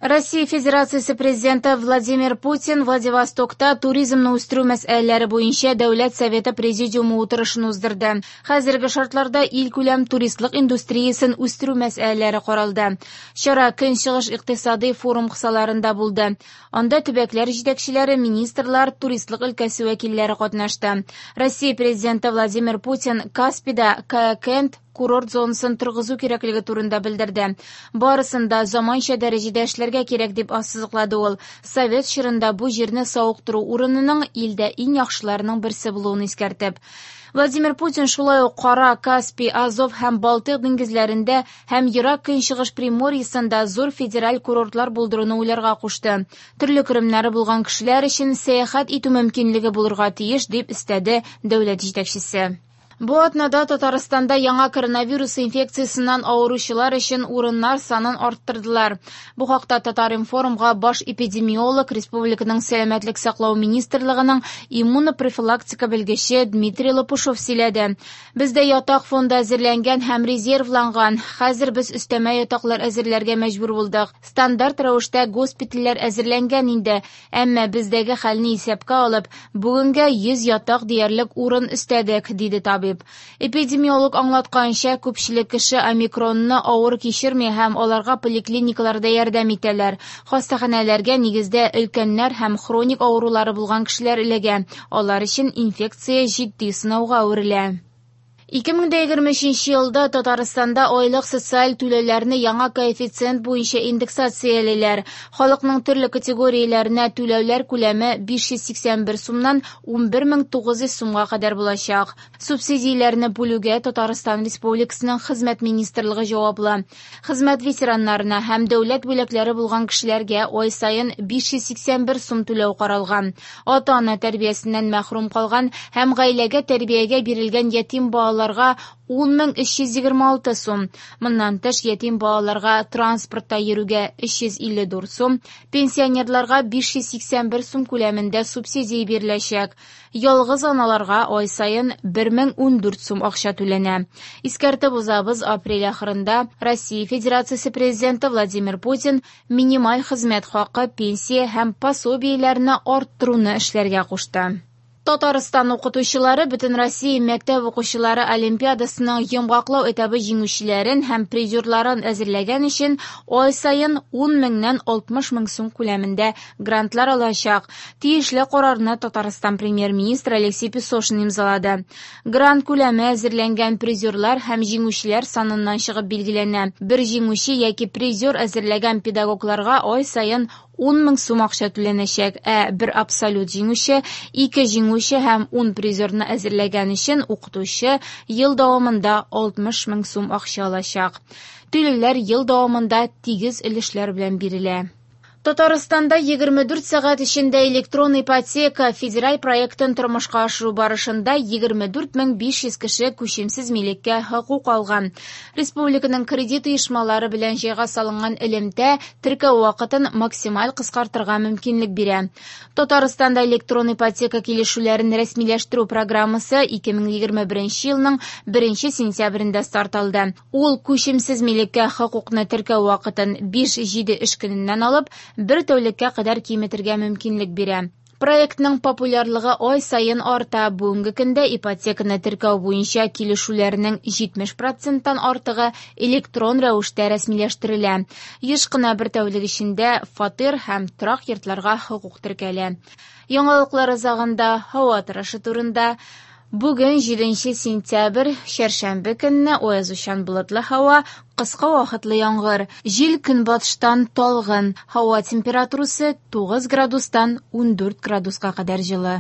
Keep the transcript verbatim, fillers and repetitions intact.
Россия Федерациясе Президенты Владимир Путин Владивостокта туризмны үстерү мәсьәләләре буенча Дәүләт Советы Президиумы утырышын уздырды. Хәзерге шартларда илкүләм туристлык индустриясен үстерү мәсьәләләре каралды. Чара Көнчыгыш икътисадый форум кысаларында булды. Анда төбәкләр җитәкчеләре, министрлар, туристлык өлкәсе вәкилләре катнашты. Россия Президенты Владимир Путин Каспийда Каякент курорт зонасын торгызу кирәклеге турында белдерде. Барысын да заманча дәрәҗәдә эшләргә кирәк дип ассызыклады ул. Совет чорында бу җирне савыктыру урынының илдә иң яхшыларының берсе булуын искәртеп. Владимир Путин шулай ук Кара, Каспий, Азов һәм Балтыйк диңгезләрендә һәм Ерак Көнчыгыш Приморьесында зур федераль курортлар булдыруны уйларга кушты. Төрле керемнәре булган кешеләр өчен сәяхәт итү мөмкинлеге булырга тиеш дип өстәде дәүләт җитәкчесе. Бу атнада Татарстанда яңа коронавирус инфекциясеннән авыручылар өчен урыннар санын арттырдылар. Бу хакта Татар-информга баш эпидемиолог, республиканың сәламәтлек саклау министрлыгының иммунопрофилактика белгече Дмитрий Лопушов сөйләде. Бездә ятак фонды әзерләнгән һәм резервланган. Хәзер без өстәмә ятаклар әзерләргә мәҗбүр булдык. Стандарт рәвештә госпитальләр әзерләнгән инде, әмма бездәге хәлне исәпкә алып, бүгенгә йөз ятак диярлек урын өстәдек, диде табиб. Эпидемиолог аңлатканча, күпчелек кеше омикронны авыр кичерми һәм аларга поликлиникаларда ярдәм итәләр. Хастаханәләргә нигездә өлкәннәр һәм хроник авырулары булган кешеләр эләгә. Алар өчен инфекция җитди сынауга әверелә. ике мең егерме өченче елда Татарстанда айлык социаль түләүләрне яңа коэффициент буенча индексациялиләр. Халыкның төрле категорияләренә түләүләр күләме биш йөз сиксән бер сумнан унбер мең тугыз йөз сумга кадәр булачак. Субсидияләрне бүлүгә Татарстан Республикасының Хезмәт министрлыгы җаваплы. Хезмәт ветераннарына һәм дәүләт бүләкләре булган кешеләргә ай саен биш йөз сиксән бер сум түләү каралган. Ата-ана тәрбиясеннән мәхрүм калган һәм гаиләгә тәрбиягә бирелгән ятим балалар ун мең өч йөз егерме алты сум. Моннан тыш ятим балаларга транспортта йөрүгә өч йөз илле дүрт сум, пенсионерларга биш йөз сиксән бер сум күләмендә субсидия биреләчәк. Ялгыз аналарга ай саен бер мең ундүрт сум акча түләнә. Искәртеп узабыз, апрель ахырында Россия Федерациясе Президенты Владимир Путин минималь хезмәт хакы, пенсия һәм пособиеләрне арттыруны эшләргә кушты. Татарстан укытучылары Бөтен Россия мәктәп укучылары олимпиадасының йомгаклау этабы җиңүчеләрен һәм призерларын әзерләгән өчен ай саен ун меңнән алтмыш мең сум күләмендә грантлар алачак. Тиешле карарны Татарстан премьер-министры Алексей Песошин имзалады. Грант күләме әзерләнгән призерлар һәм җиңүчеләр саныннан чыгып билгеләнә. Бер җиңүче яки призер әзерләгән педагогларга ай саен ун мең сум акча түләнәчәк, ә бер абсолют җиңүче, ике җиңүче һәм ун призерны әзерләгән өчен укытучы ел дәвамында алтмыш мең сум акча алачак. Түләүләр ел дәвамында тигез өлешләр белән бирелә. Татарстанда егерме дүрт сәгать эчендә электрон ипотека федераль проектын тормышка ашыру барышында егерме дүрт мең биш йөз кеше күчемсез милеккә хокук алган. Республиканың кредит оешмалары белән җайга салынган элемтә теркәү вакытын максималь кыскартырга мөмкинлек бирә. Татарстанда электрон ипотека килешүләрен рәсмиләштерү программасы ике мең егерме беренче елның беренче сентябрендә старт алды. Ул күчемсез милеккә хокукны теркәү вакытын биш-җиде эш көненнән алып бер тәүлеккә кадәр киметергә мөмкинлек бирә. Проектның популярлыгы ай саен арта. Бүгенге көндә ипотеканы теркәү буенча килешүләрнең җитмеш проценттан артыгы электрон рәвештә рәсмиләштерелә. Еш кына бер тәүлек эчендә фатир һәм торак йортларга хокук теркәлә. Яңалыклар азагында һава торышы турында. Бүген җиденче сентябрь, чәршәмбе көнне аязучан болытлы һава, кыска вакытлы яңгыр. Җил көнбатыштан талгын. Һава температурасы тугыз градустан ундүрт градуска кадәр җылы.